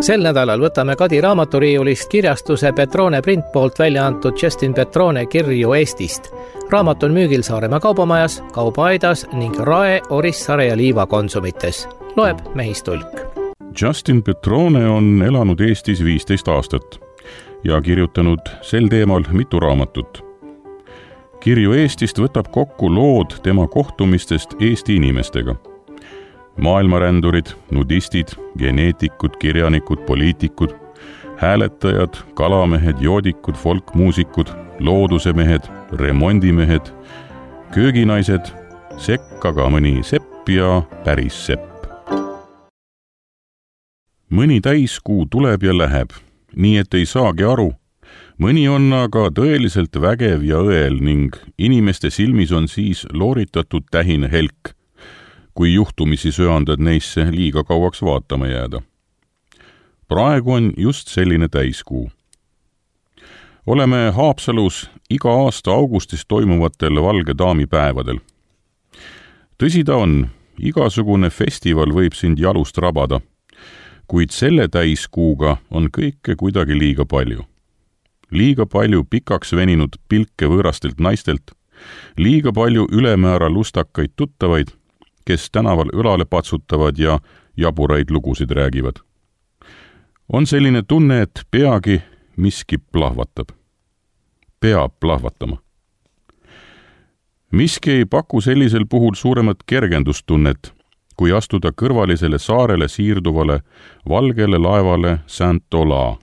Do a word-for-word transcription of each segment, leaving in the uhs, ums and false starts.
Sel nädalal võtame Kadi raamaturiiulist kirjastuse Petrone print poolt välja antud Justin Petrone kirju Eestist. Raamat on müügil Saaremaa kaubamajas, Kaubaaidas ning Rae, Orissaare ja Liiva konsumites. Loeb Mehis Tulk. Justin Petrone on elanud Eestis viisteist aastat ja kirjutanud sel teemal mitu raamatut. Kirju Eestist võtab kokku lood tema kohtumistest Eesti inimestega. Maailmarändurid, nudistid, geneetikud, kirjanikud, poliitikud, hääletajad, kalamehed, joodikud, folkmuusikud, loodusemehed, remondimehed, kööginaised, sekka ka mõni sepp ja päris sepp. Mõni täiskuu tuleb ja läheb, nii et ei saagi aru. Mõni on aga tõeliselt vägev ja õel ning inimeste silmis on siis looritatud tähine helk, kui juhtumisi söandad neisse liiga kauaks vaatama jääda. Praegu on just selline täiskuu. Oleme Haapsalus iga aasta augustis toimuvatel valge daami päevadel. Tõsi ta on, igasugune festival võib sind jalust rabada, kuid selle täiskuuga on kõike kuidagi liiga palju. Liiga palju pikaks veninud pilke võõrastelt naistelt, liiga palju ülemäära lustakaid tuttavaid, kes tänaval õlale patsutavad ja jaburaid lugusid räägivad. On selline tunne, et peagi miski plahvatab. Peab plahvatama. Miski ei paku sellisel puhul suuremat kergendustunnet, kui astuda kõrvalisele saarele siirduvale valgele laevale Saint-Ola.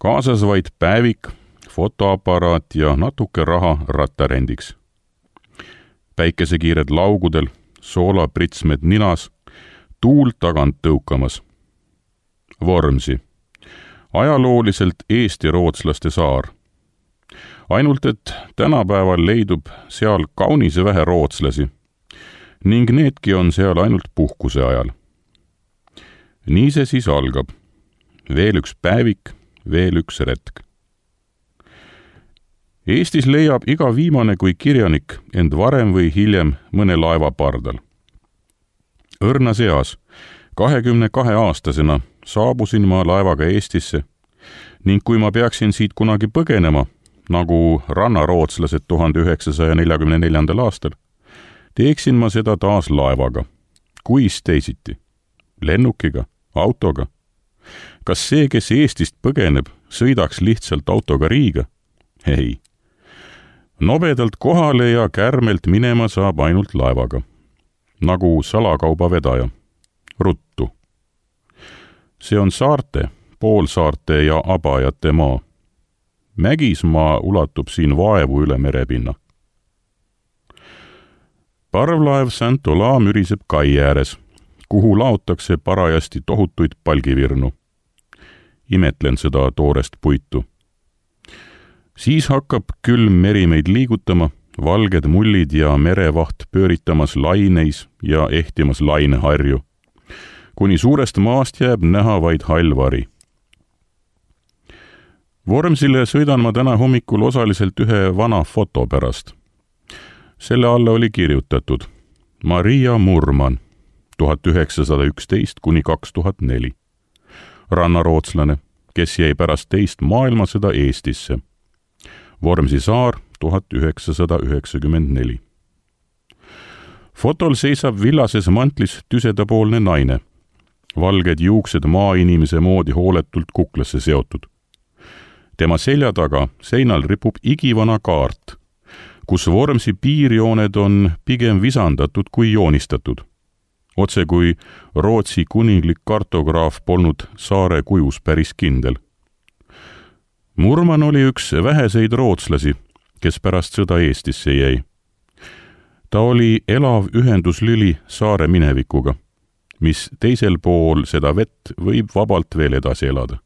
Kaasas vaid päevik, fotoaparaat ja natuke raha rattarendiks. Päikesekiired laugudel, soolapritsmed ninas, tuul tagant tõukamas. Vormsi. Ajalooliselt eesti-rootslaste saar. Ainult, et tänapäeval leidub seal kaunise vähe rootslasi ning needki on seal ainult puhkuse ajal. Nii see siis algab. Veel üks päevik, veel üks retk. Eestis leiab iga viimane kui kirjanik end varem või hiljem mõne laeva pardal. Õrnas eas, kahekümne kahe aastasena saabusin ma laevaga Eestisse ning kui ma peaksin siit kunagi põgenema, nagu rannarootslased tuhande üheksasaja neljakümne neljandal aastal, teeksin ma seda taas laevaga. Kuis teisiti? Lennukiga? Autoga? Kas see, kes Eestist põgeneb, sõidaks lihtsalt autoga Riiga? Ei. Nobedalt kohale ja kärmelt minema saab ainult laevaga. Nagu salakauba vedaja. Ruttu. See on saarte, poolsaarte ja abajate maa. Mägismaa ulatub siin vaevu üle merepinna. Parvlaev Saint-Ola müriseb kai ääres, kuhu laotakse parajasti tohutuid palgivirnu. Imetlen seda toorest puitu. Siis hakkab külm meri meid liigutama, valged mullid ja merevaht pööritamas laineis ja ehtimas laineharju, kuni suurest maast jääb näha vaid hallvari. Vormsile sõidan ma täna hommikul osaliselt ühe vana foto pärast. Selle alla oli kirjutatud Maria Murman, tuhat üheksasada üksteist kuni kaks tuhat neli. Rannarootslane, kes jäi pärast teist maailmasõda Eestisse. Vormsi saar, tuhat üheksasada üheksakümmend neli. Fotol seisab villases mantlis tüsedapoolne naine. Valged juuksed maainimese moodi hooletult kuklasse seotud. Tema selja taga seinal ripub igivana kaart, kus Vormsi piirjooned on pigem visandatud kui joonistatud. Otse kui Rootsi kuninglik kartograaf polnud saare kujus päris kindel. Murman oli üks väheseid rootslasi, kes pärast sõda Eestisse jäi. Ta oli elav ühenduslüli saare minevikuga, mis teisel pool seda vett võib vabalt veel edasi elada.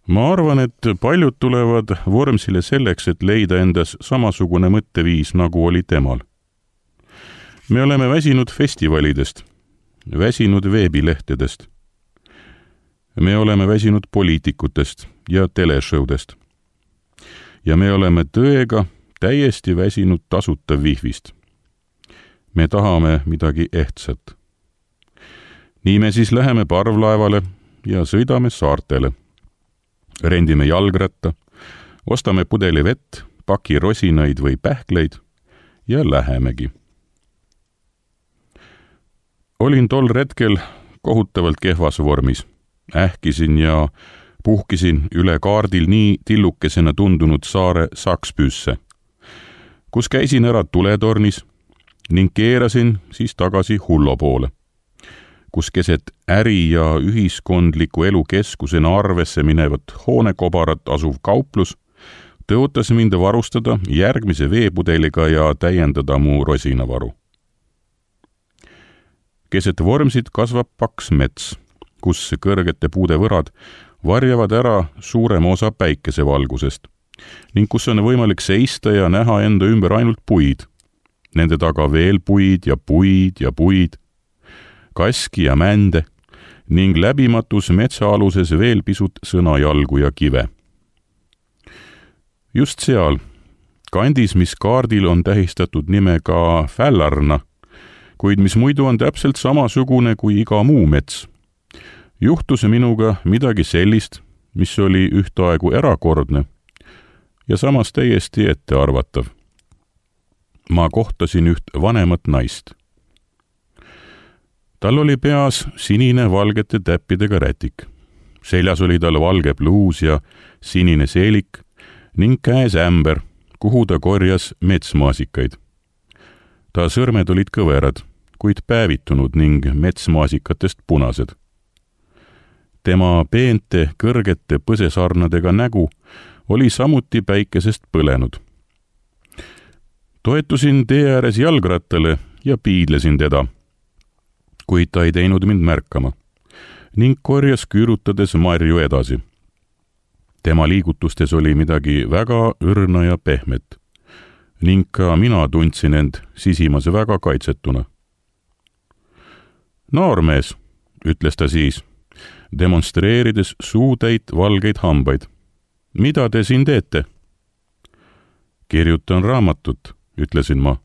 Ma arvan, et paljud tulevad Vormsile selleks, et leida endas samasugune mõtteviis, nagu oli temal. Me oleme väsinud festivalidest, väsinud veebilehtedest. Me oleme väsinud poliitikutest ja teleshowdest. Ja me oleme tõega täiesti väsinud tasuta vihvist. Me tahame midagi ehtsat. nii me siis läheme parvlaevale ja sõidame saartele. Rendime jalgratta, ostame pudeli vett, paki rosinaid või pähkleid ja lähemegi. Olin tol retkel kohutavalt kehvas vormis. Ähkisin ja puhkisin üle kaardil nii tillukesena tundunud saare Sakspüüsse, kus käisin ära tuletornis ning keerasin siis tagasi Hullo poole, kus keset äri- ja ühiskondliku elu keskusena arvesse minevat hoonekobarat asuv kauplus tõotas mind varustada järgmise veepudeliga ja täiendada mu rosinavaru. Keset Vormsit kasvab paks mets, kus kõrgete puude võrad varjavad ära suurema osa päikesevalgusest ning kus on võimalik seista ja näha enda ümber ainult puid. Nende taga veel puid ja puid ja puid, kaski ja mände ning läbimatus metsaaluses veel pisut sõnajalgu ja kive. Just seal, kandis, mis kaardil on tähistatud nimega Fällarna, kuid mis muidu on täpselt samasugune kui iga muu mets, juhtus minuga midagi sellist, mis oli ühtaegu erakordne ja samas täiesti ettearvatav. Ma kohtasin üht vanemat naist. Tal oli peas sinine valgete täppidega rätik. Seljas oli tal valge pluus ja sinine seelik ning käes ämber, kuhu ta korjas metsmaasikaid. Ta sõrmed olid kõverad, kuid päevitunud ning metsmaasikatest punased. Tema peente kõrgete põsesarnadega nägu oli samuti päikesest põlenud. Toetusin tee ääres jalgrattale ja piidlesin teda, kuid ta ei teinud mind märkama ning korjas küürutades marju edasi. Tema liigutustes oli midagi väga õrna ja pehmet ning ka mina tundsin end sisimas väga kaitsetuna. Noormees, ütles ta siis, demonstreerides suutäit valgeid hambaid. Mida te siin teete? Kirjutan raamatut, ütlesin ma,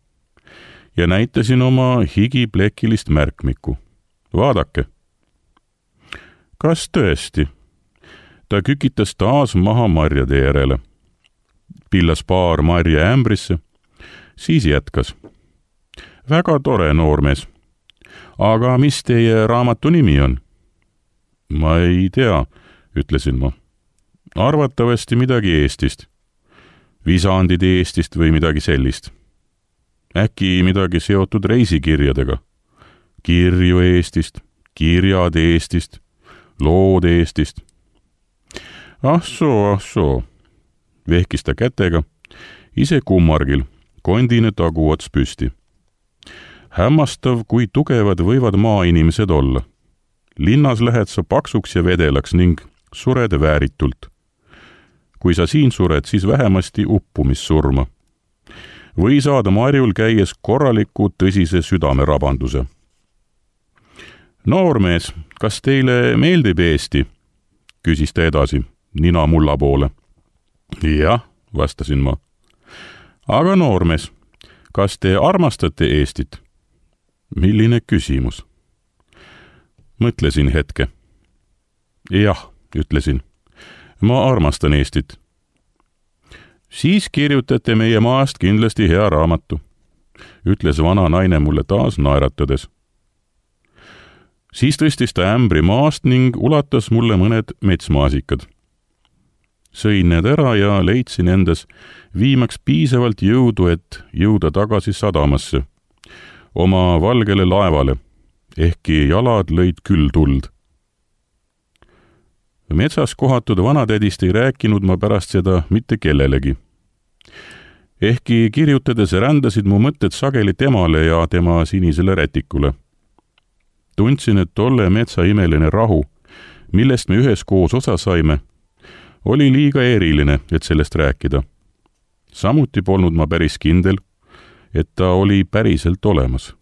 ja näitasin oma higiplekilist märkmikku. Vaadake. Kas tõesti? Ta kükitas taas maha marjade järele. Pillas paar marja ämbrisse, siis jätkas. Väga tore, noormees. Aga mis teie raamatu nimi on? Ma ei tea, ütlesin ma. Arvatavasti midagi Eestist. Visandid Eestist või midagi sellist. Äkki midagi seotud reisikirjadega. Kirju Eestist, kirjad Eestist, lood Eestist. Ah soo, ah soo, vehkis ta kätega, ise kummargil, kondine taguots püsti. Hämmastav, kui tugevad võivad maainimesed olla. Linnas lähed sa paksuks ja vedelaks ning sured vääritult. Kui sa siin sured, siis vähemasti uppumissurma. Või saada marjul käies korraliku tõsise südamerabanduse. Noormees, kas teile meeldib Eesti? Küsis ta edasi, nina mulla poole. Jah, vastasin ma. Aga noormees, kas te armastate Eestit? Milline küsimus? Mõtlesin hetke. Jah, ütlesin. Ma armastan Eestit. Siis kirjutate meie maast kindlasti hea raamatu, ütles vana naine mulle taas naeratades. Siis tõstis ta ämbri maast ning ulatas mulle mõned metsmaasikad. Sõin need ära ja leidsin endas viimaks piisavalt jõudu, et jõuda tagasi sadamasse, oma valgele laevale, ehkki jalad lõid küll tuld. Metsas kohatud vanatädist ei rääkinud ma pärast seda mitte kellelegi. Ehkki kirjutades rändasid mu mõtted sageli temale ja tema sinisele rätikule. Tundsin, et tolle metsa imeline rahu, millest me üheskoos osa saime, oli liiga eriline, et sellest rääkida. Samuti polnud ma päris kindel, et ta oli päriselt olemas.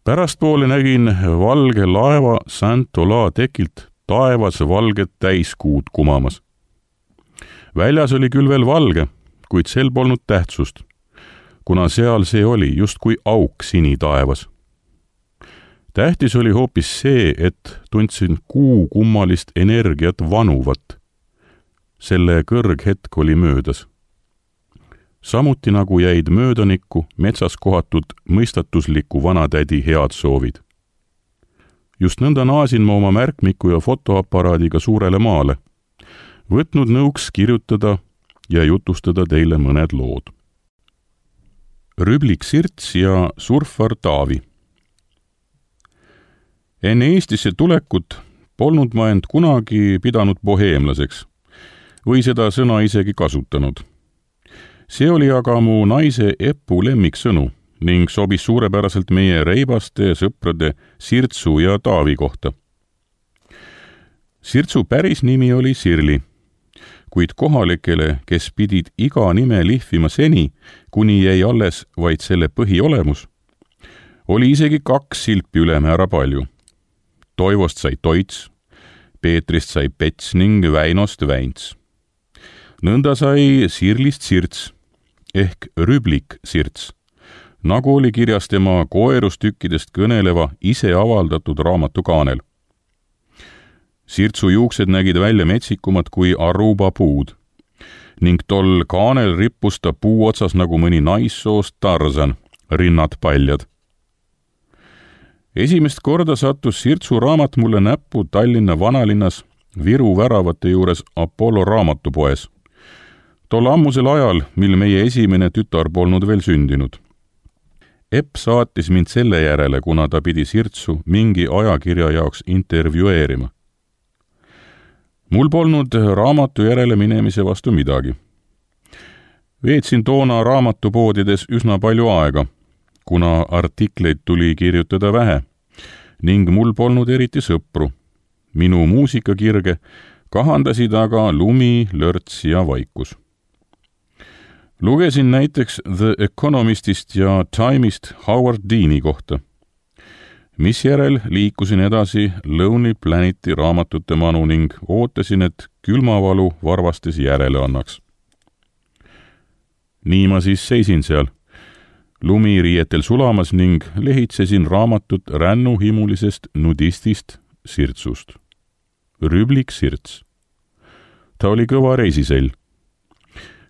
Pärastpoole nägin valge laeva Saint-Ola tekilt taevas valget täiskuud kumamas. Väljas oli küll veel valge, kuid sel polnud tähtsust, kuna seal see oli just kui auk sini taevas. tähtis oli hoopis see, et tundsin kuu kummalist energiat vanuvat. Selle kõrghetk oli möödas. Samuti nagu jäid möödanikku metsas kohatud mõistatusliku vanatädi head soovid. Just nõnda naasin ma oma märkmiku ja fotoaparaadiga suurele maale, võtnud nõuks kirjutada ja jutustada teile mõned lood. Rüblik Sirts ja surfar Taavi. Enne Eestisse tulekut polnud ma end kunagi pidanud boheemlaseks või seda sõna isegi kasutanud. See oli aga mu naise Epu lemmiksõnu ning sobis suurepäraselt meie reibaste sõprade Sirtsu ja Taavi kohta. Sirtsu päris nimi oli Sirli, kuid kohalikele, kes pidid iga nime lihvima seni, kuni jäi alles vaid selle põhiolemus, oli isegi kaks silpi ülemäära palju. Toivost sai Toits, Peetrist sai Pets ning Väinost Väints. Nõnda sai Sirlist Sirts ehk Rüblik Sirts, nagu oli kirjas tema koerustükkidest kõneleva ise avaldatud raamatu kaanel. Sirtsu juuksed nägid välja metsikumad kui Aruba puud ning tol kaanel rippus ta puu otsas nagu mõni naissoost Tarzan, rinnad paljad. Esimest korda sattus Sirtsu raamat mulle näppu Tallinna vanalinnas Viru väravate juures Apollo raamatupoes. Tol ammusel ajal, mil meie esimene tütar polnud veel sündinud. Epp saatis mind selle järele, kuna ta pidi Sirtsu mingi ajakirja jaoks intervjueerima. Mul polnud raamatu järele minemise vastu midagi. Veetsin toona raamatupoodides üsna palju aega, kuna artikleid tuli kirjutada vähe ning mul polnud eriti sõpru. Minu muusikakirge kahandasid aga lumi, lörts ja vaikus. Lugesin näiteks The Economistist ja Time'ist Howard Deani kohta, mis järel liikusin edasi Lonely Planeti raamatute manu ning ootasin, et külmavalu varvastes järele annaks. Nii ma siis seisin seal, lumi riietel sulamas ning lehitsesin raamatut rännuhimulisest nudistist Sirtsust. Rüblik Sirts. Ta oli kõva reisisell,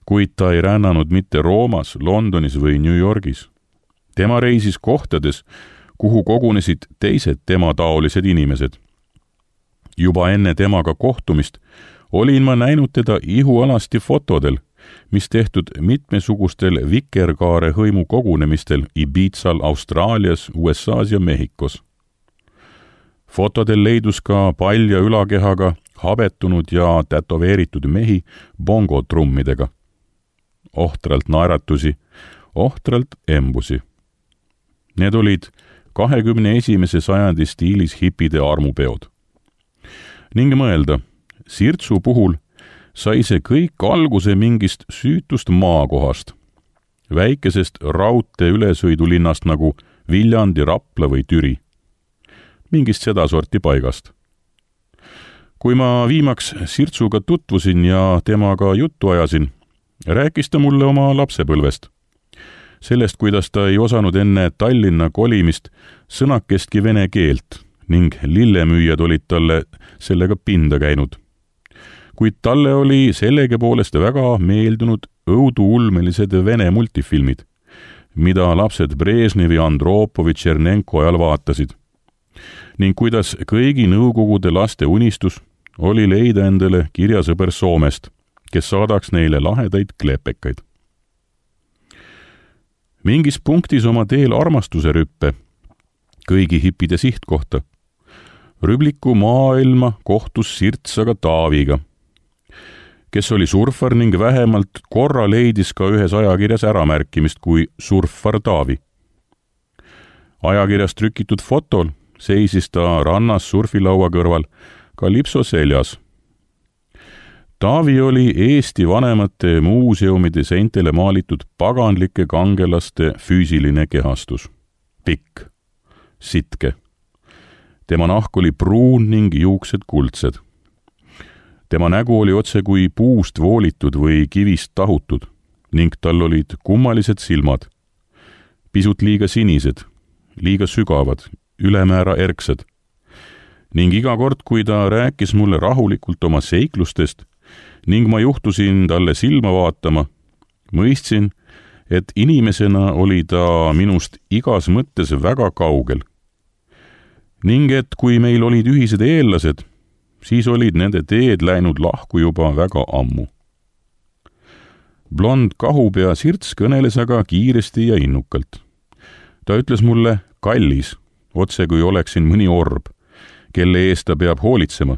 kuid ta ei rännanud mitte Roomas, Londonis või New Yorgis. Tema reisis kohtades, kuhu kogunesid teised tema taolised inimesed. Juba enne temaga kohtumist olin ma näinud teda ihualasti fotodel, mis tehtud mitmesugustel vikerkaare hõimu kogunemistel Ibizal, Austraalias, U S A's ja Mehhikos. Fotodel leidus ka palja ülakehaga habetunud ja tätoveeritud mehi bongotrummidega. Ohtralt naeratusi, ohtralt embusi. Need olid kahekümne esimese sajandi stiilis hipide armupeod. Ning mõelda, Sirtsu puhul sai see kõik alguse mingist süütust maakohast, väikesest raudtee ülesõidulinnast nagu Viljandi, Rapla või Türi, mingist sedasorti paigast. Kui ma viimaks Sirtsuga tutvusin ja temaga juttu ajasin, rääkis ta mulle oma lapsepõlvest. Sellest, kuidas ta ei osanud enne Tallinna kolimist sõnakestki vene keelt ning lillemüüjad olid talle sellega pinda käinud. Kuid talle oli sellegi poolest väga meeldunud õuduulmelised vene multifilmid, mida lapsed Brežnevi, Andropovi, Tšernenko ajal vaatasid. Ning kuidas kõigi nõukogude laste unistus oli leida endale kirjasõber Soomest, kes saadaks neile lahedaid klepekaid. Mingis punktis oma teel armastuse rüppe, kõigi hipide sihtkohta, Rübliku maailma kohtus Sirts aga Taaviga, kes oli surfar ning vähemalt korra leidis ka ühes ajakirjas äramärkimist kui surfar Taavi. Ajakirjas trükitud fotol seisis ta rannas surfilaua kõrval kalipso seljas. Taavi oli Eesti vanemate muuseumide seintele maalitud paganlike kangelaste füüsiline kehastus. Pikk, sitke. Tema nahk oli pruun ning juuksed kuldsed. Tema nägu oli otse kui puust voolitud või kivist tahutud ning tal olid kummalised silmad, pisut liiga sinised, liiga sügavad ülemäära erksad. Ning iga kord, kui ta rääkis mulle rahulikult oma seiklustest ning ma juhtusin talle silma vaatama, mõistsin, et inimesena oli ta minust igas mõttes väga kaugel. Ning et kui meil olid ühised eellased, siis olid nende teed läinud lahku juba väga ammu. Blond kahupea Sirts kõneles aga kiiresti ja innukalt. Ta ütles mulle kallis, otse kui oleksin mõni orb, kelle eest ta peab hoolitsema,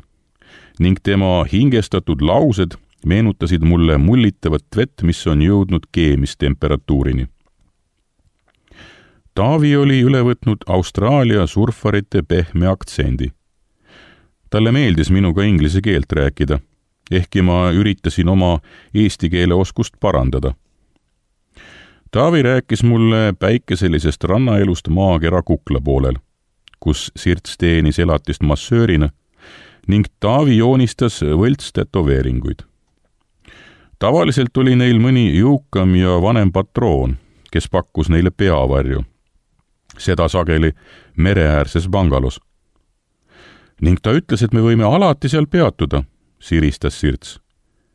ning tema hingestatud laused meenutasid mulle mullitavat vett, mis on jõudnud keemistemperatuurini. Taavi oli üle võtnud Austraalia surfarite pehme aktsendi. Talle meeldis minuga inglise keelt rääkida, ehkki ma üritasin oma eesti keele oskust parandada. Taavi rääkis mulle päikeselisest rannaelust maakera Kukla poolel, kus Sirts teenis elatist massöörina, ning Taavi joonistas võlts tätoveeringuid. Tavaliselt oli neil mõni jõukam ja vanem patroon, kes pakkus neile peavarju. Seda sageli mereäärses bangalos. Ning ta ütles, et me võime alati seal peatuda, siristas Sirts.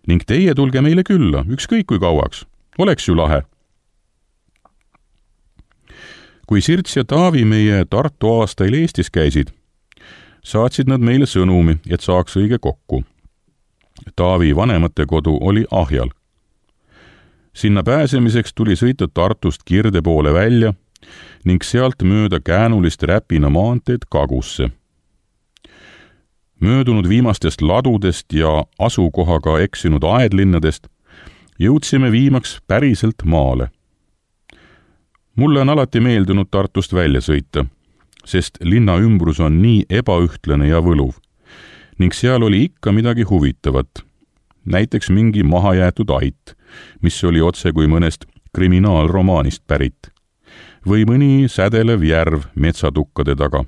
Ning teie tulge meile külla, ükskõik kui kauaks. Oleks ju lahe. Kui Sirts ja Taavi meie Tartu aastail Eestis käisid, saatsid nad meile sõnumi, et saaks õige kokku. Taavi vanemate kodu oli Ahjal. Sinna pääsemiseks tuli sõita Tartust Kirde poole välja ning sealt mööda käänulist Räpina maanteed Kagusse. Möödunud viimastest ladudest ja asukohaga eksinud aedlinnadest jõudsime viimaks päriselt maale. Mulle on alati meeldinud Tartust välja sõita, sest linna ümbrus on nii ebaühtlane ja võluv ning seal oli ikka midagi huvitavat. Näiteks mingi mahajäetud ait, mis oli otse kui mõnest kriminaalromaanist pärit, või mõni sädelev järv metsatukkade taga.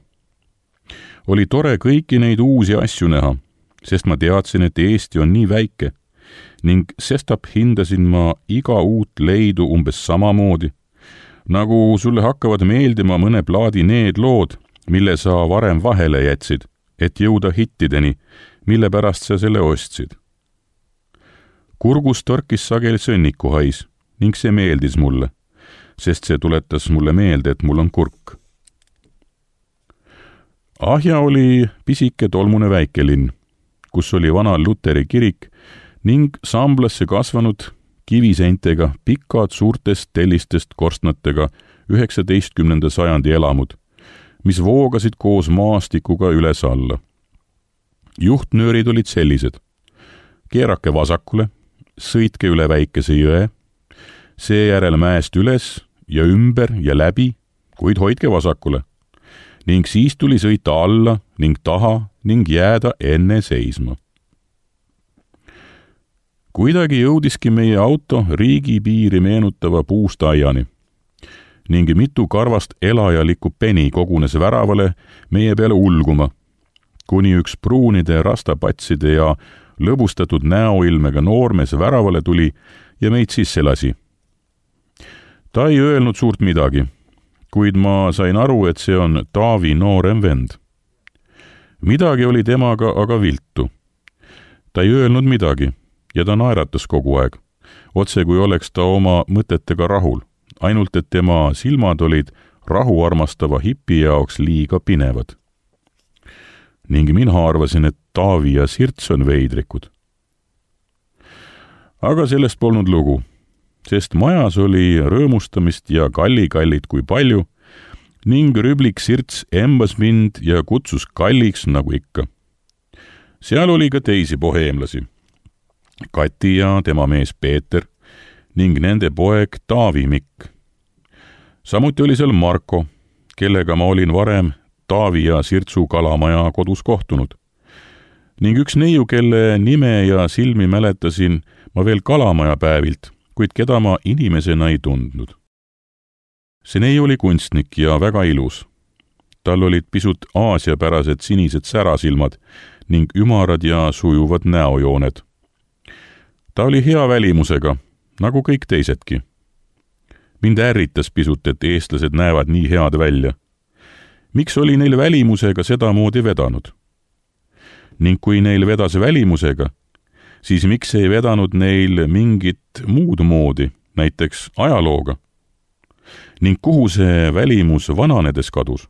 Oli tore kõiki neid uusi asju näha, sest ma teadsin, et Eesti on nii väike ning sestap hindasin ma iga uut leidu umbes samamoodi, nagu sulle hakkavad meeldima mõne plaadi need lood, mille sa varem vahele jätsid, et jõuda hittideni, mille pärast sa selle ostsid. Kurgus torkis sageli sõnnikuhais ning see meeldis mulle, sest see tuletas mulle meelde, et mul on kurk. Ahja oli pisike tolmune väikelinn, kus oli vana Luteri kirik ning Samblasse kasvanud kiviseintega pikad suurtest tellistest korstnatega üheksateistkümnenda sajandi elamud, mis voogasid koos maastikuga üles alla. Juhtnöörid olid sellised. Keerake vasakule, sõitke üle väikese jõe, seejärel mäest üles ja ümber ja läbi, kuid hoidke vasakule. Ning siis tuli sõita alla ning taha ning jääda enne seisma. Kuidagi jõudiski meie auto riigipiiri meenutava puustaiani ning mitu karvast elajalikku peni kogunes väravale meie peale ulguma, kuni üks pruunide rastapatside ja lõbustatud näoilmega noormees väravale tuli ja meid sisse lasi. Ta ei öelnud suurt midagi, kuid ma sain aru, et see on Taavi noorem vend. Midagi oli temaga aga viltu. Ta ei öelnud midagi ja ta naeratas kogu aeg, otse kui oleks ta oma mõtetega rahul, ainult et tema silmad olid rahuarmastava hipi jaoks liiga pinevad. Ning mina arvasin, et Taavi ja Sirts on veidrikud. Aga sellest polnud lugu, sest majas oli rõõmustamist ja kallikallid kui palju ning rüblik Sirts embas mind ja kutsus kalliks nagu ikka. Seal oli ka teisi boheemlasi, Kati ja tema mees Peeter ning nende poeg Taavi Mikk. Samuti oli seal Marko, kellega ma olin varem Taavi ja Sirtsu kalamaja kodus kohtunud. Ning üks neiu, kelle nime ja silmi mäletasin ma veel kalamaja päevilt, kuid keda ma inimesena ei tundnud. See neiu oli kunstnik ja väga ilus. Tal olid pisut aasiapärased sinised särasilmad ning ümarad ja sujuvad näojooned. Ta oli hea välimusega, nagu kõik teisedki. Mind ärritas pisut, et eestlased näevad nii head välja. miks oli neil välimusega sedamoodi vedanud? Ning kui neil vedas välimusega, siis miks ei vedanud neil mingit muud moodi, näiteks ajalooga? Ning kuhu see välimus vananedes kadus?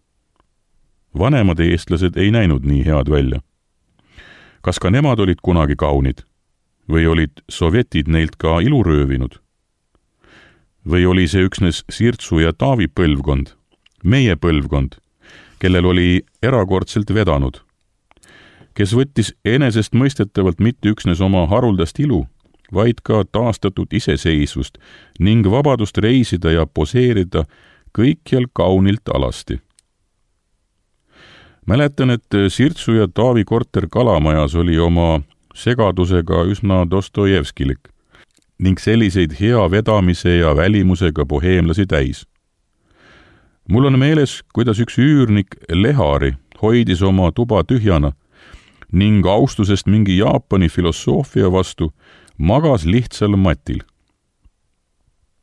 Vanemad eestlased ei näinud nii head välja. Kas ka nemad olid kunagi kaunid? Või olid sovjetid neilt ka ilu röövinud? Või oli see üksnes Sirtsu ja Taavi põlvkond, meie põlvkond, kellel oli erakordselt vedanud, kes võttis enesestmõistetavalt mitte üksnes oma haruldast ilu, vaid ka taastatud iseseisvust ning vabadust reisida ja poseerida kõikjal kaunilt alasti. Mäletan, et Sirtsu ja Taavi korter Kalamajas oli oma segadusega üsna Dostojevskilik ning selliseid hea vedamise ja välimusega boheemlasi täis. Mul on meeles, kuidas üks üürnik Lehari hoidis oma tuba tühjana ning austusest mingi Jaapani filosoofia vastu magas lihtsal matil.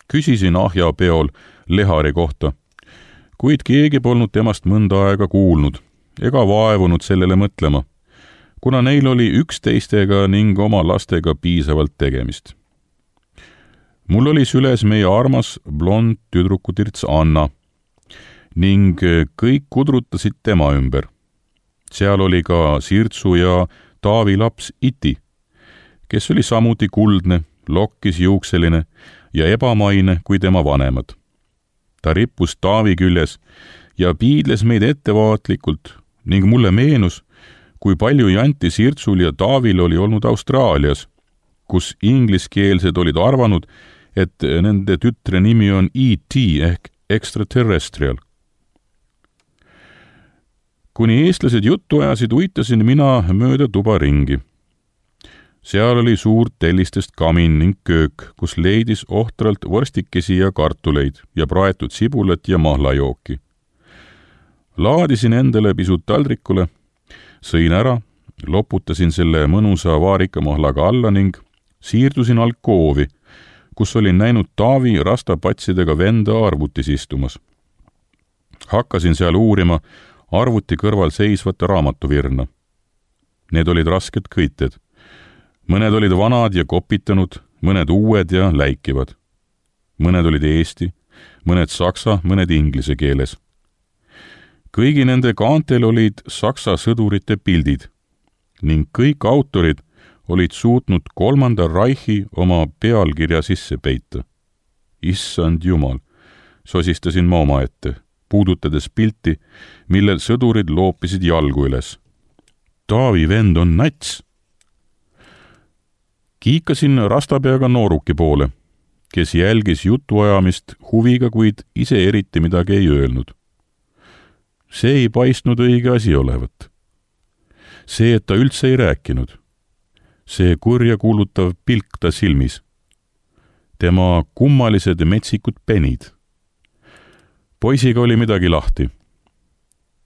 Küsisin ahjapeol Lehari kohta, kuid keegi polnud temast mõnda aega kuulnud ega vaevunud sellele mõtlema, kuna neil oli üksteistega ning oma lastega piisavalt tegemist. Mul oli süles meie armas blond tüdrukutirts Anna ning kõik kudrutasid tema ümber. Seal oli ka Sirtsu ja Taavi laps Iti, kes oli samuti kuldne, lokkis juukseline ja ebamaine kui tema vanemad. Ta rippus Taavi küljes ja piidles meid ettevaatlikult ning mulle meenus, kui palju janti Sirtsul ja Taavil oli olnud Austraalias, kus ingliskeelsed olid arvanud, et nende tütre nimi on E T ehk extraterrestrial. Kuni eestlased juttu ajasid, uitasin mina mööda tuba ringi. Seal oli suur tellistest kamin ning köök, kus leidis ohtralt vorstikesi ja kartuleid ja praetud sibulat ja mahlajooki. Laadisin endale pisut taldrikule, sõin ära, loputasin selle mõnusa vaarikamahlaga alla ning siirdusin alkoovi, kus olin näinud Taavi rastapatsidega venda arvutis istumas. Hakkasin seal uurima arvuti kõrval seisvat raamatuvirna. Need olid rasked kõited. Mõned olid vanad ja kopitanud, mõned uued ja läikivad. Mõned olid eesti, mõned saksa, mõned inglise keeles. Kõigi nende kaantel olid saksa sõdurite pildid ning kõik autorid olid suutnud kolmanda Reichi oma pealkirja sisse peita. Issand jumal, sosistasin ma oma ette, puudutades pilti, millel sõdurid loopisid jalgu üles. Taavi vend on nats. Kiikasin rastapeaga nooruki poole, kes jälgis jutuajamist huviga, kuid ise eriti midagi ei öelnud. See ei paistnud õige asi olevat. See, et ta üldse ei rääkinud. See kurja kuulutav pilk ta silmis. Tema kummalised metsikud penid. Poisiga oli midagi lahti.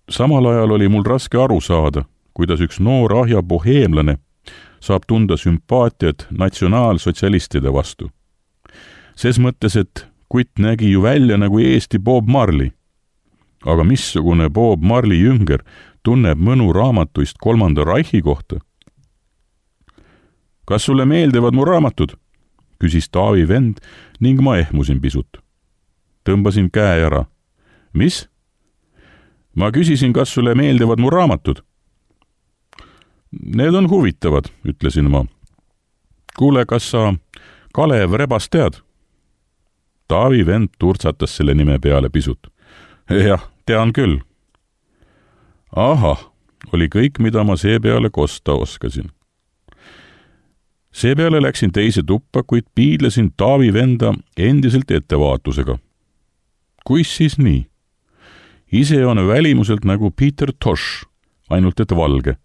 Samal ajal oli mul raske aru saada, kuidas üks noor ahja boheemlane saab tunda sümpaatiat natsionaalsotsialistide vastu. Ses mõttes, et kutt nägi ju välja nagu Eesti Bob Marley. Aga missugune Bob Marley jünger tunneb mõnu raamatuist kolmanda Reichi kohta? Kas sulle meeldivad mu raamatud? Küsis Taavi vend ning ma ehmusin pisut. Tõmbasin käe ära. Mis? Ma küsisin, kas sulle meeldivad mu raamatud? Need on huvitavad, ütlesin ma. Kuule, kas sa Kalev Rebast tead? Taavi vend turtsatas selle nime peale pisut. Jah, tean küll. Ahah, oli kõik, mida ma seepeale kosta oskasin. Seepeale läksin teise tuppa, kuid piidlesin Taavi venda endiselt ettevaatusega. Kuis siis nii? Ise on välimuselt nagu Peter Tosh, ainult et valge.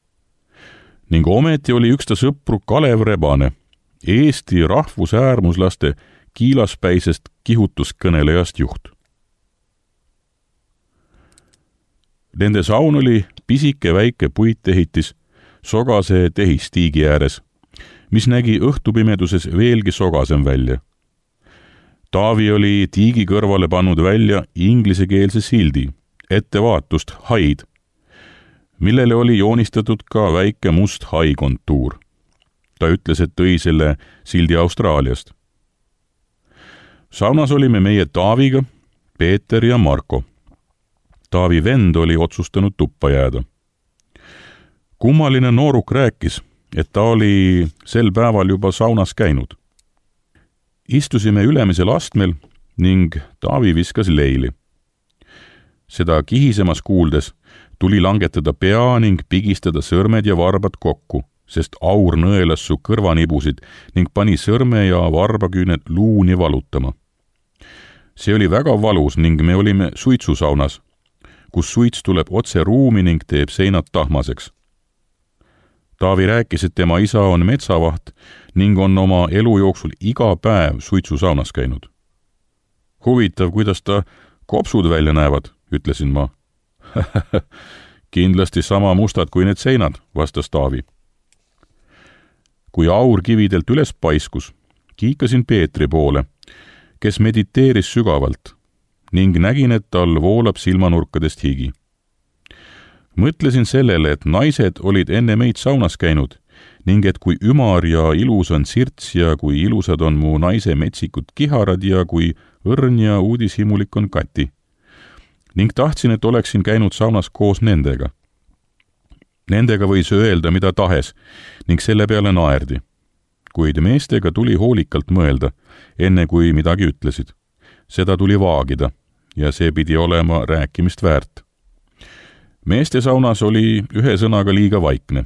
Ning ometi oli üks ta sõpru Kalev Rebane, Eesti rahvusäärmuslaste kiilaspäisest kihutuskõnelejast juht. Nende saun oli pisike väike puitehitis sogase tehistiigi ääres, mis nägi õhtupimeduses veelgi sogasem välja. Taavi oli tiigi kõrvale pannud välja inglisekeelse sildi, ettevaatust haid, millele oli joonistatud ka väike must hai kontuur. Ta ütles, et tõi selle sildi Austraaliast. Saunas olime meie Taaviga, Peeter ja Marko. Taavi vend oli otsustanud tuppa jääda. Kummaline nooruk rääkis, et ta oli sel päeval juba saunas käinud. Istusime ülemisel astmel ning Taavi viskas leili. Seda kihisemas kuuldes tuli langetada pea ning pigistada sõrmed ja varbad kokku, sest aur nõelas su kõrvanibusid ning pani sõrme ja varbaküüned luuni valutama. See oli väga valus ning me olime suitsusaunas, kus suits tuleb otse ruumi ning teeb seinad tahmaseks. Taavi rääkis, et tema isa on metsavaht ning on oma elu jooksul iga päev suitsusaunas käinud. Huvitav, kuidas ta kopsud välja näevad, ütlesin ma. Kindlasti sama mustad kui need seinad, vastas Taavi. Kui aur kividelt üles paiskus, kiikasin Peetri poole, kes mediteeris sügavalt ning nägin, et tal voolab silmanurkadest higi. Mõtlesin sellele, et naised olid enne meid saunas käinud ning et kui ümar ja ilus on sirts ja kui ilusad on mu naise metsikud kiharad ja kui õrn ja uudishimulik on Kati. Ning tahtsin, et oleksin käinud saunas koos nendega. Nendega võis öelda mida tahes ning selle peale naerdi. Kuid meestega tuli hoolikalt mõelda, enne kui midagi ütlesid. Seda tuli vaagida ja see pidi olema rääkimist väärt. Meeste saunas oli ühe sõnaga liiga vaikne.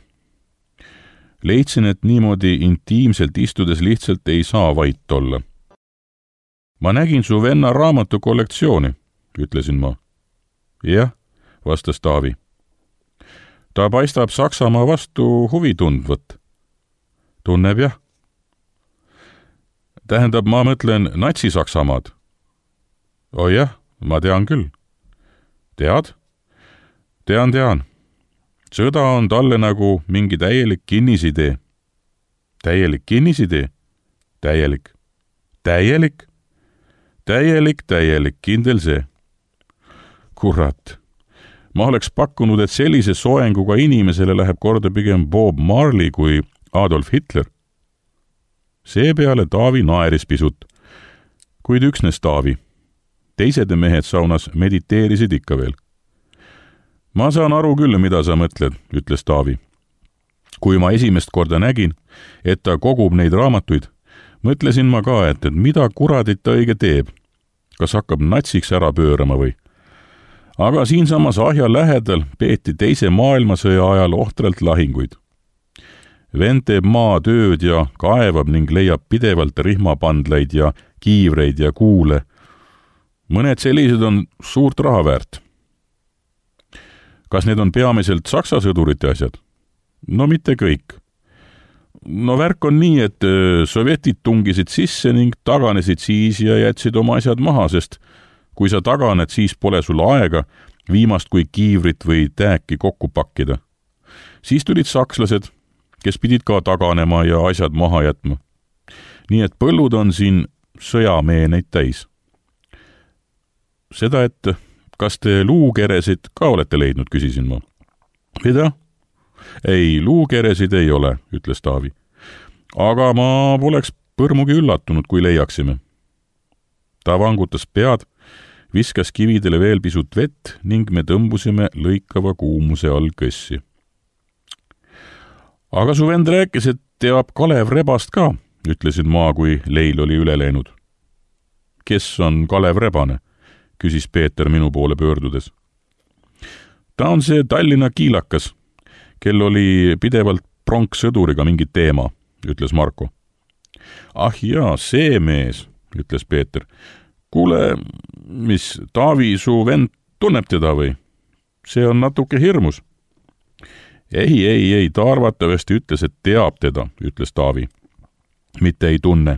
Leidsin, et niimoodi intiimselt istudes lihtsalt ei saa vait olla. Ma nägin su venna raamatu kollektsiooni, ütlesin ma. Jah, vastas Taavi. Ta paistab Saksamaa vastu huvi tundvat. Tunneb jah. Tähendab, ma mõtlen natsi-Saksamaad. O jah, ma tean küll. Tead? Tean, tean. Sõda on talle nagu mingi täielik kinnisidee. Täielik kinnisidee? Täielik. Täielik? Täielik, täielik, kindel see. Kurat. Ma oleks pakkunud, et sellise soenguga inimesele läheb korda pigem Bob Marley kui Adolf Hitler. Seepeale Taavi naeris pisut, kuid üksnes Taavi. Teised mehed saunas mediteerisid ikka veel. Ma saan aru küll, mida sa mõtled, ütles Taavi. Kui ma esimest korda nägin, et ta kogub neid raamatuid, mõtlesin ma ka, et, et mida kuradit ta õige teeb. Kas hakkab natsiks ära pöörama või? Aga siinsamas ahja lähedal peeti teise maailmasõja ajal ohtralt lahinguid. Vend teeb maatööd ja kaevab ning leiab pidevalt rihmapandlaid ja kiivreid ja kuule. Mõned sellised on suurt raha väärt. Kas need on peamiselt saksa sõdurite asjad? No mitte kõik. No värk on nii, et sovjetid tungisid sisse ning taganesid siis ja jätsid oma asjad maha, sest kui sa taganed, siis pole sul aega viimast kui kiivrit või tääki kokku pakkida. Siis tulid sakslased, kes pidid ka taganema ja asjad maha jätma. Nii et põllud on siin sõjameeneid täis. Seda, et kas te luukeresid ka olete leidnud, küsisin ma. Mida? Ei, luukeresid ei ole, ütles Taavi. Aga ma poleks põrmugi üllatunud, kui leiaksime. Ta vangutas pead, viskas kividele veel pisut vett ning me tõmbusime lõikava kuumuse all kõssi. Aga su vend rääkis, et teab Kalev Rebast ka, ütlesin ma, kui leil oli üle läinud. Kes on Kalev Rebane? Küsis Peeter minu poole pöördudes. Ta on see Tallinna kiilakas, kel oli pidevalt pronksõduriga mingi teema, ütles Marko. Ah jaa, see mees, ütles Peeter. Kuule, mis Taavi su vend tunneb teda või? See on natuke hirmus. Ei, ei, ei, ta arvatavasti ütles, et teab teda, ütles Taavi. Mitte ei tunne.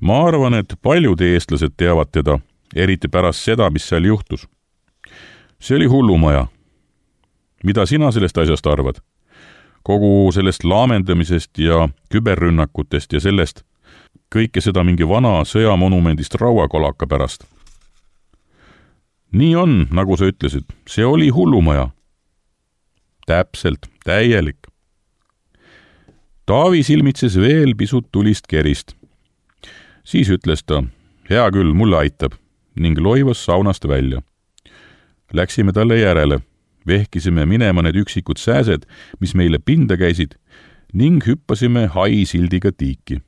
Ma arvan, et paljud eestlased teavad teda, eriti pärast seda, mis seal juhtus. See oli hullumaja. Mida sina sellest asjast arvad? Kogu sellest laamendamisest ja küberrünnakutest ja sellest, kõike seda mingi vana sõjamonumendist rauakolaka pärast. nii on, nagu sa ütlesid, see oli hullumaja. Täpselt, täielik. Taavi silmitses veel pisut tulist kerist. Siis ütles ta, hea küll, mulle aitab, ning loivas saunast välja. Läksime talle järele, vehkisime minema need üksikud sääsed, mis meile pinda käisid, ning hüppasime hai sildiga tiiki.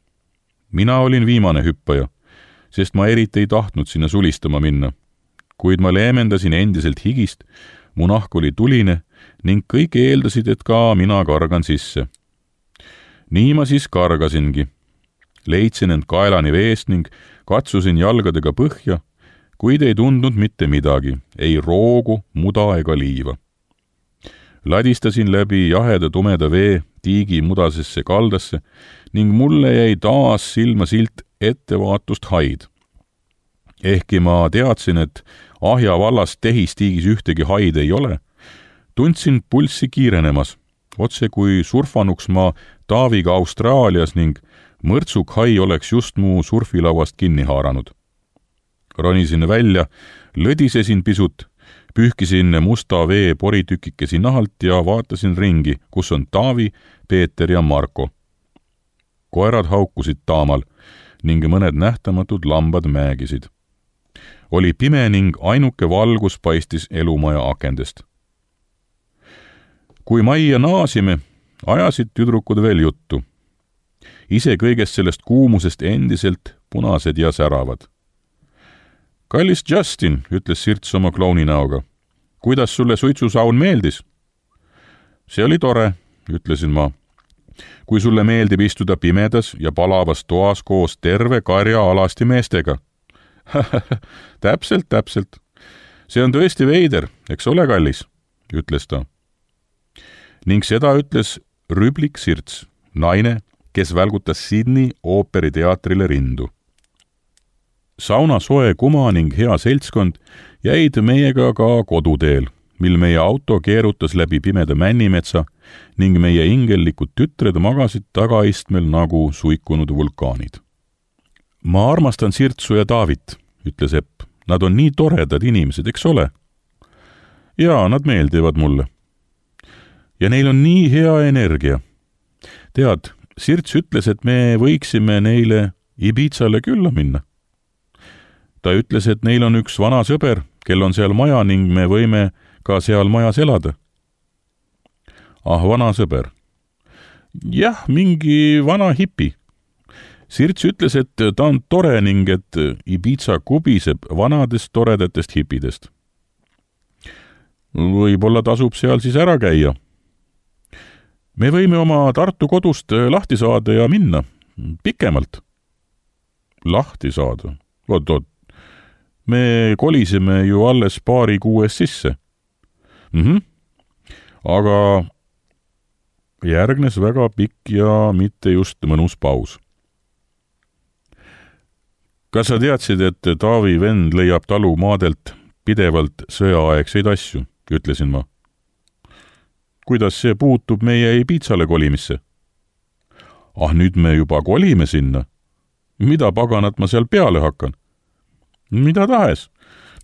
Mina olin viimane hüppaja, sest ma eriti ei tahtnud sinna sulistama minna. Kuid ma leemendasin endiselt higist, mu nahk oli tuline ning kõik eeldasid, et ka mina kargan sisse. Nii ma siis kargasingi. Leidsin end kaelani veest ning katsusin jalgadega põhja, kuid ei tundnud mitte midagi, ei roogu, muda ega liiva. Ladistasin läbi jaheda tumeda vee tiigi mudasesse kaldasse ning mulle jäi taas silma silt ettevaatust haid. Ehkki ma teadsin, et Ahja vallas tehistiigis ühtegi haid ei ole, tundsin pulssi kiirenemas, otse kui surfanuks ma Taaviga Austraalias ning mõrtsuk hai oleks just mu surfilauast kinni haaranud. Ronisin välja, lõdisesin pisut, pühkisin musta vee poritükikesi nahalt ja vaatasin ringi, kus on Taavi, Peeter ja Marko. Koerad haukusid taamal ning mõned nähtamatud lambad määgisid. Oli pime ning ainuke valgus paistis elumaja akendest. Kui majja naasime, ajasid tüdrukud veel juttu. Ise kõigest sellest kuumusest endiselt punased ja säravad. Kallis Justin, ütles Sirts oma klouni näoga. Kuidas sulle suitsusaun meeldis? See oli tore, ütlesin ma. Kui sulle meeldib istuda pimedas ja palavas toas koos terve karja alasti meestega. täpselt, täpselt. See on tõesti veider, eks ole, kallis, ütles ta. Ning seda ütles Rüblik Sirts, naine, kes välgutas Sydney ooperiteatrile rindu. Sauna soe kuma ning hea seltskond jäid meiega ka koduteel, mil meie auto keerutas läbi pimeda männimetsa ning meie ingellikud tütred magasid tagaistmel nagu suikunud vulkaanid. Ma armastan Sirtsu ja Taavit, ütles Epp. Nad on nii toredad inimesed, eks ole? Jaa, nad meeldivad mulle. Ja neil on nii hea energia. Tead, Sirts ütles, et me võiksime neile Ibizale külla minna. Ta ütles, et neil on üks vana sõber, kel on seal maja ning me võime ka seal majas elada. Ah, vana sõber. Jah, mingi vana hipi. Sirts ütles, et ta on tore ning et Ibiza kubiseb vanadest toredatest hipidest. Võib-olla tasub seal siis ära käia. Me võime oma Tartu kodust lahti saada ja minna. Pikemalt. Lahti saada? Oot, oot. Me kolisime ju alles paari kuues sisse. Mhm. Aga järgnes väga pikk ja mitte just mõnus paus. Kas sa teadsid, et Taavi vend leiab talu maadelt pidevalt sõjaaegseid asju, ütlesin ma. Kuidas see puutub meie Ibizale kolimisse? Ah, nüüd me juba kolime sinna. Mida paganat ma seal peale hakkan? Mida tahes?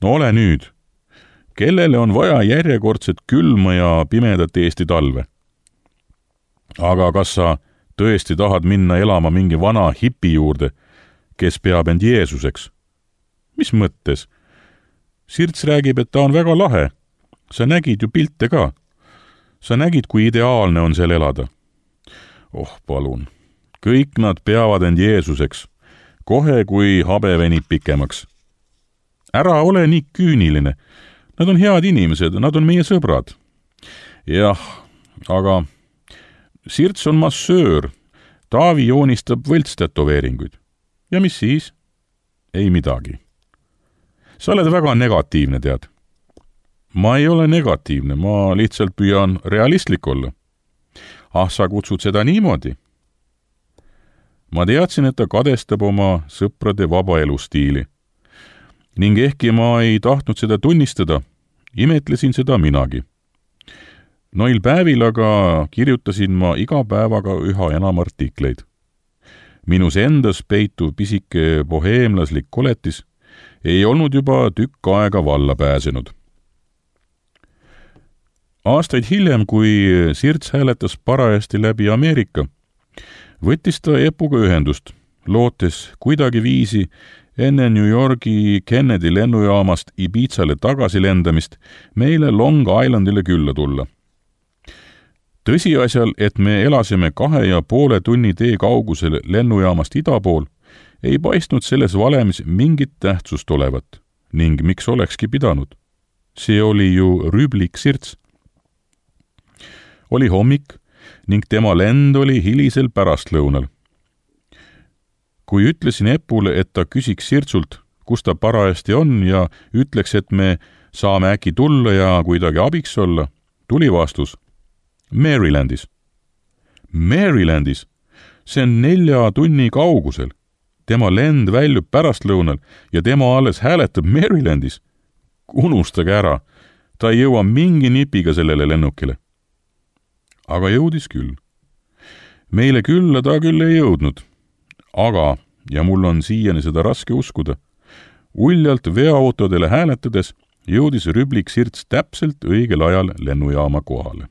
No ole nüüd. Kellele on vaja järjekordset külma ja pimedat Eesti talve? Aga kas sa tõesti tahad minna elama mingi vana hipi juurde, kes peab end Jeesuseks? Mis mõttes? Sirts räägib, et ta on väga lahe. Sa nägid ju pilte ka. Sa nägid, kui ideaalne on seal elada. Oh, palun. Kõik nad peavad end Jeesuseks. Kohe, kui habe venib pikemaks. Ära ole nii küüniline. Nad on head inimesed, nad on meie sõbrad. Jah, aga Sirts on massöör. Taavi joonistab võltstatoveeringuid. Ja mis siis? Ei midagi. Sa oled väga negatiivne, tead. Ma ei ole negatiivne, ma lihtsalt püüan realistlik olla. Ah, sa kutsud seda niimoodi? Ma teadsin, et ta kadestab oma sõprade vaba elustiili. Ning ehkki ma ei tahtnud seda tunnistada, imetlesin seda minagi. Noil päevil aga kirjutasin ma iga päevaga üha enam artikleid. Minus endas peituv pisike boheemlaslik koletis ei olnud juba tükk aega valla pääsenud. Aastaid hiljem, kui Sirts hääletas parajasti läbi Ameerika, võttis ta Epuga ühendust, lootes kuidagi viisi enne New Yorgi Kennedy lennujaamast Ibizale tagasi lendamist meile Long Islandile külla tulla. Tõsiasjal, et me elasime kahe ja poole tunni tee kaugusel lennujaamast ida pool, ei paistnud selles valemis mingit tähtsust olevat ning miks olekski pidanud. See oli ju Rüblik Sirts. Oli hommik ning tema lend oli hilisel pärastlõunal. Kui ütlesin Epule, et ta küsiks Sirtsult, kus ta parajasti on ja ütleks, et me saame äkki tulla ja kuidagi abiks olla, tuli vastus. Marylandis. Marylandis? See on nelja tunni kaugusel. Tema lend väljub pärastlõunal ja tema alles hääletab Marylandis. Unustage ära, ta ei jõua mingi nipiga sellele lennukile. Aga jõudis küll. Meile külla ta küll ei jõudnud. Aga, ja mul on siiani seda raske uskuda, uljalt veoautodele hääletades jõudis Rüblik Sirts täpselt õigel ajal lennujaama kohale.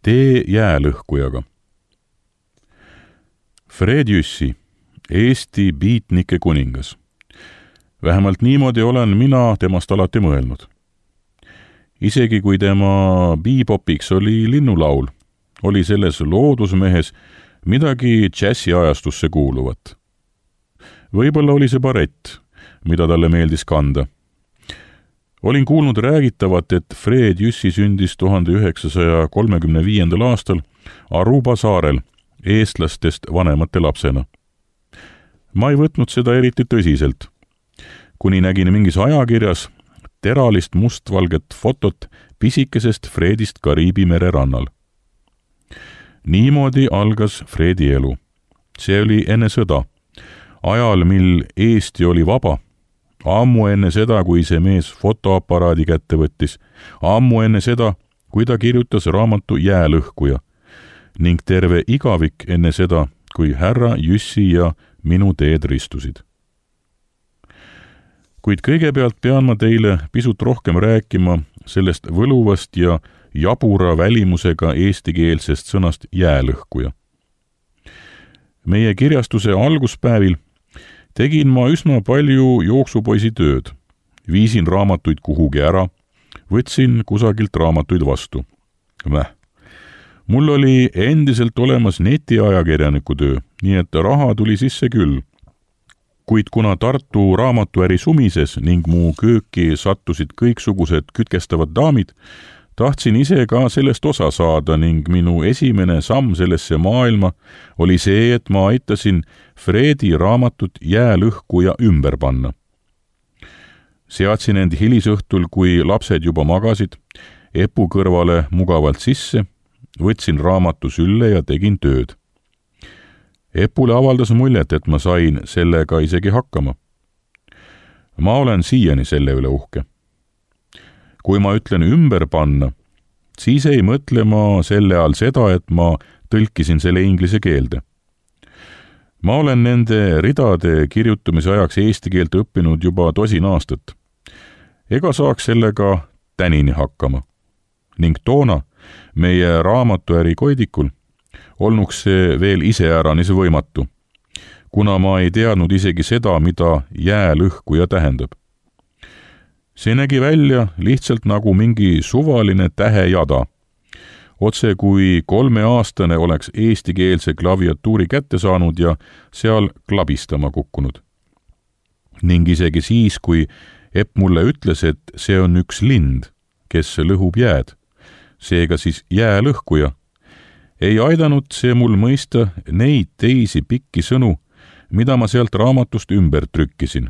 Tee jäälõhkujaga. Fred Jüssi, Eesti biitnike kuningas. Vähemalt niimoodi olen mina temast alati mõelnud. Isegi kui tema biipopiks oli linnulaul, oli selles loodusmehes midagi džässiajastusse kuuluvat. Võib-olla oli see barett, mida talle meeldis kanda. Olin kuulnud räägitavat, et Fred Jüssi sündis tuhande üheksasaja kolmekümne viiendal aastal Aruba saarel eestlastest vanemate lapsena. Ma ei võtnud seda eriti tõsiselt, kuni nägin mingis ajakirjas teralist mustvalget fotot pisikesest Fredist Kariibi mere rannal. Niimoodi algas Fredi elu. See oli enne sõda, ajal, mil Eesti oli vaba, ammu enne seda, kui see mees fotoaparaadi kätte võttis, ammu enne seda, kui ta kirjutas raamatu Jäälõhkuja ning terve igavik enne seda, kui härra Jüssi ja minu teed ristusid. Kuid kõigepealt pean ma teile pisut rohkem rääkima sellest võluvast ja jabura välimusega eestikeelsest sõnast jäälõhkuja. Meie kirjastuse alguspäevil tegin ma üsna palju jooksupoisi tööd. Viisin raamatuid kuhugi ära, võtsin kusagilt raamatuid vastu. Väh. Mul oli endiselt olemas netiajakirjaniku töö, nii et raha tuli sisse küll. Kuid kuna Tartu raamatuäri sumises ning mu kööki sattusid kõiksugused kütkestavad daamid, tahtsin ise ka sellest osa saada ning minu esimene samm sellesse maailma oli see, et ma aitasin Fredi raamatut Jäälõhkuja ümber panna. Seadsin end hilisõhtul, kui lapsed juba magasid, Epu kõrvale mugavalt sisse, võtsin raamatu sülle ja tegin tööd. Epule avaldas muljet, et ma sain sellega isegi hakkama. Ma olen siiani selle üle uhke. Kui ma ütlen ümber panna, siis ei mõtle ma selle all seda, et ma tõlkisin selle inglise keelde. Ma olen nende ridade kirjutamise ajaks eesti keelt õppinud juba tosin aastat. Ega saaks sellega tänini hakkama. Ning toona meie raamatuäri koidikul olnuks see veel iseäranis võimatu, kuna ma ei teadnud isegi seda, mida jäälõhkuja tähendab. See nägi välja lihtsalt nagu mingi suvaline tähejada, otse kui kolmeaastane oleks eestikeelse klaviatuuri kätte saanud ja seal klabistama kukkunud. Ning isegi siis, kui Epp mulle ütles, et see on üks lind, kes lõhub jääd, seega siis jäälõhkuja, ei aidanud see mul mõista neid teisi pikki sõnu, mida ma sealt raamatust ümber trükkisin.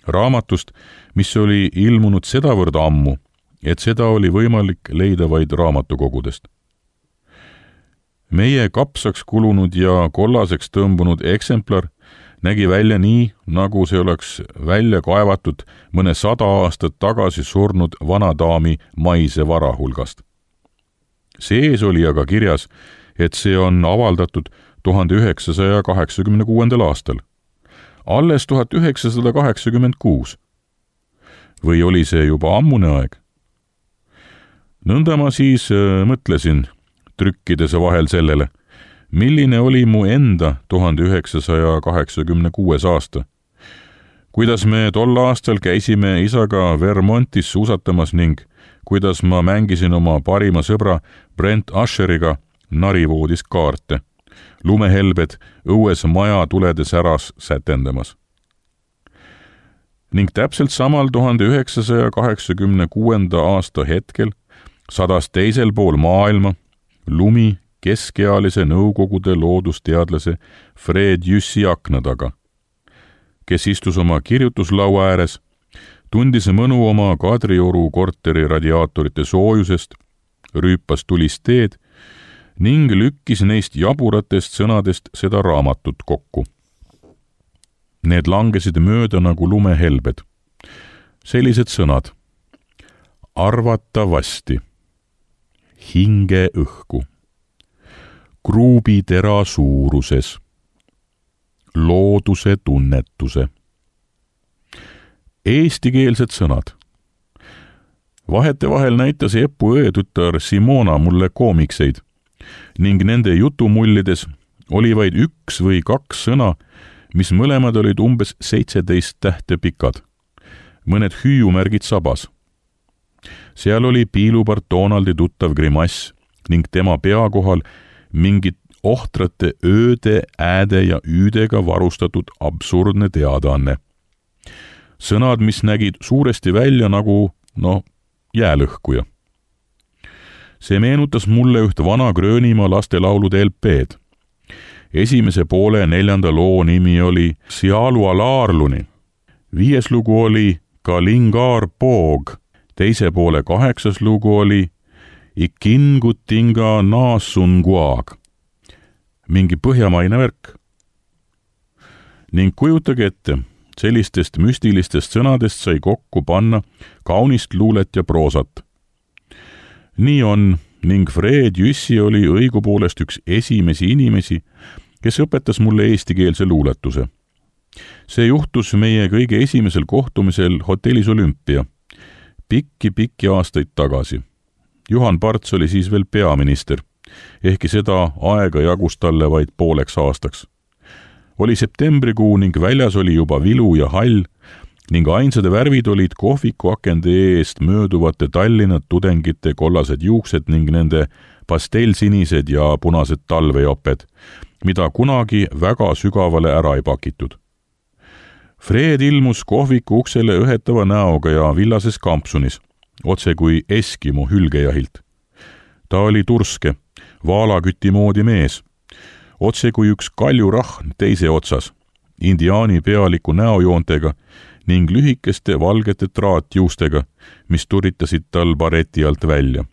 Raamatust, mis oli ilmunud sedavõrd ammu, et seda oli võimalik leida vaid raamatukogudest. Meie kapsaks kulunud ja kollaseks tõmbunud eksemplar nägi välja nii, nagu see oleks välja kaevatud mõne sada aastat tagasi surnud vanadaami maise vara hulgast. Sees oli aga kirjas, et see on avaldatud tuhande üheksasaja kaheksakümne kuuendal aastal. alles tuhat üheksasada kaheksakümmend kuus. Või oli see juba ammune aeg? Nõnda ma siis äh, mõtlesin, trükkides vahel sellele, milline oli mu enda tuhande üheksasaja kaheksakümne kuues aasta. Kuidas me tol aastal käisime isaga Vermontis suusatamas ning kuidas ma mängisin oma parima sõbra Brent Usheriga narivoodis kaarte, lumehelbed õues maja tuledes äras sätendamas. Ning täpselt samal tuhande üheksasaja kaheksakümne kuuenda aasta hetkel sadas teisel pool maailma lumi keskealise Nõukogude loodusteadlase Fred Jüssi akna taga, kes istus oma kirjutuslaua ääres, tundis mõnu oma Kadrioru korteri radiaatorite soojusest, rüüpas tulist teed ning lükkis neist jaburatest sõnadest seda raamatut kokku. Need langesid mööda nagu lumehelbed. Sellised sõnad. Arvatavasti. Hinge õhku. Kruubitera suuruses. Looduse tunnetuse. Eestikeelsed sõnad. Vahetevahel näitas Epu õetütar Simona mulle koomikseid ning nende jutumullides oli vaid üks või kaks sõna, mis mõlemad olid umbes seitseteist tähte pikad, mõned hüüumärgid sabas. Seal oli piilupart Donaldi tuttav grimass ning tema pea kohal mingid ohtrate ööde, ääde ja üüdega varustatud absurdne teadaanne. Sõnad, mis nägid suuresti välja nagu, no, jäälõhkuja. See meenutas mulle üht vana Gröönimaa lastelaulude L P-d. Esimese poole neljanda loo nimi oli Sialua Laarluni. Viies lugu oli Kalingaar Poog. Teise poole kaheksas lugu oli Ikingutinga Naasunguag. Mingi põhjamaine värk. Ning kujutage ette, sellistest müstilistest sõnadest sai kokku panna kaunist luulet ja proosat. Nii on, ning Fred Jüssi oli õigupoolest üks esimesi inimesi, kes õpetas mulle eestikeelse luuletuse. See juhtus meie kõige esimesel kohtumisel hotellis Olümpia, pikki-pikki aastaid tagasi. Juhan Parts oli siis veel peaminister, ehkki seda aega jagus talle vaid pooleks aastaks. Oli septembrikuu ning väljas oli juba vilu ja hall ning ainsade värvid olid kohviku akende eest mööduvate Tallinna tudengite kollased juuksed ning nende pastellsinised ja punased talvejoped, mida kunagi väga sügavale ära ei pakitud. Fred ilmus kohviku uksele õhetava näoga ja villases kampsunis, otse kui Eskimo hülgejahilt. Ta oli turske, vaalaküti moodi mees, otse kui üks kaljurahn teise otsas, indiaani pealiku näojoontega ning lühikeste valgete traatjuustega, mis turitasid tal bareti alt välja.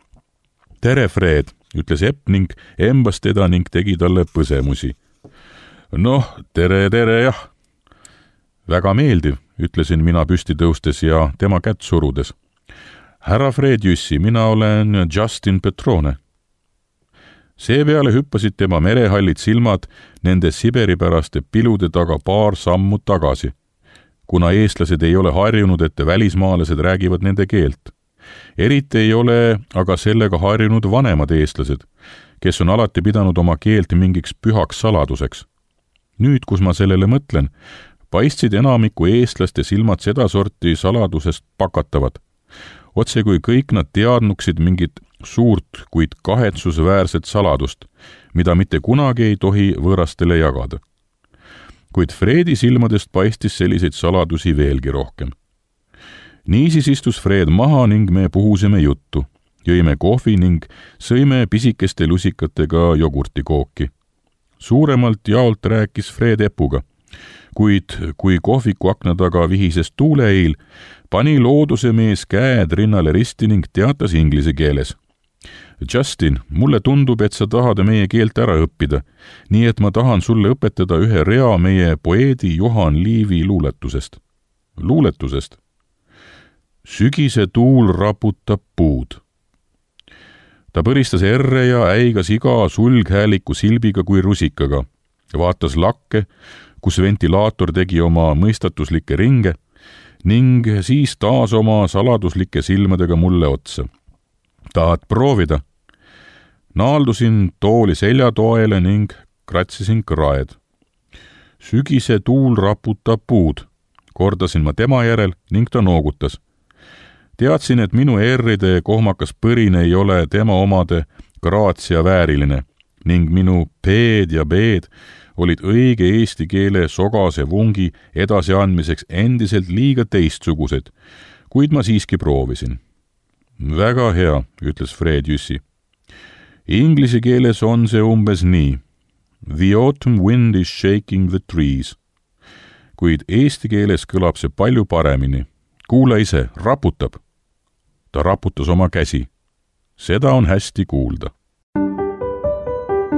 Tere, Fred, ütles Epp ning embas teda ning tegi talle põsemusi. Noh, tere, tere, jah. Väga meeldiv, ütlesin mina püsti tõustes ja tema kätt surudes. Härra Fred Jüssi, mina olen Justin Petrone. Seepeale hüppasid tema merehallid silmad nende siberipäraste pilude taga paar sammu tagasi, kuna eestlased ei ole harjunud, et välismaalased räägivad nende keelt. Eriti ei ole aga sellega harjunud vanemad eestlased, kes on alati pidanud oma keelt mingiks pühaks saladuseks. Nüüd, kus ma sellele mõtlen, paistsid enamiku eestlaste silmad sedasorti saladusest pakatavad. Otse kui kõik nad teadnuksid mingit suurt, kuid kahetsusväärset saladust, mida mitte kunagi ei tohi võõrastele jagada. Kuid Fredi silmadest paistis selliseid saladusi veelgi rohkem. Niisiis istus Fred maha ning me puhusime juttu, jõime kohvi ning sõime pisikeste lusikatega jogurtikooki. Suuremalt jaolt rääkis Fred Epuga, kuid kui kohviku akna taga vihises tuuleil, pani looduse mees käed rinnale risti ning teatas inglise keeles. Justin, mulle tundub, et sa tahad meie keelt ära õppida, nii et ma tahan sulle õpetada ühe rea meie poeedi Johan Liivi luuletusest. Luuletusest. Sügise tuul raputab puud. Ta põristas erre ja äigas iga sulghääliku silbiga kui rusikaga, vaatas lakke, kus ventilaator tegi oma mõistatuslikke ringe ning siis taas oma saladuslike silmadega mulle otsa. Tahad proovida? Naaldusin tooli seljatoele ning kratsisin kraed. Sügise tuul raputab puud, kordasin ma tema järel ning ta noogutas. Teadsin, et minu erride kohmakas põrine ei ole tema omade graatsia vääriline ning minu P-d ja B-d olid õige eesti keele sogase vungi edasiandmiseks endiselt liiga teistsugused, kuid ma siiski proovisin. Väga hea, ütles Fred Jüssi. Inglise keeles on see umbes nii. The autumn wind is shaking the trees. Kuid eesti keeles kõlab see palju paremini. Kuula ise, raputab. Ta raputas oma käsi. Seda on hästi kuulda.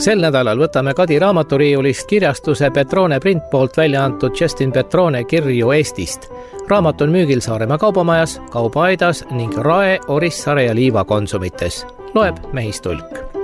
Sel nädalal võtame Kadi raamaturiiulist kirjastuse Petrone print poolt välja antud Justin Petrone Kirju Eestist. Raamat on müügil Saaremaa kaubamajas, Kaubaaidas ning Rae, Orissaare ja Liiva konsumites. Loeb Mehis Tulk.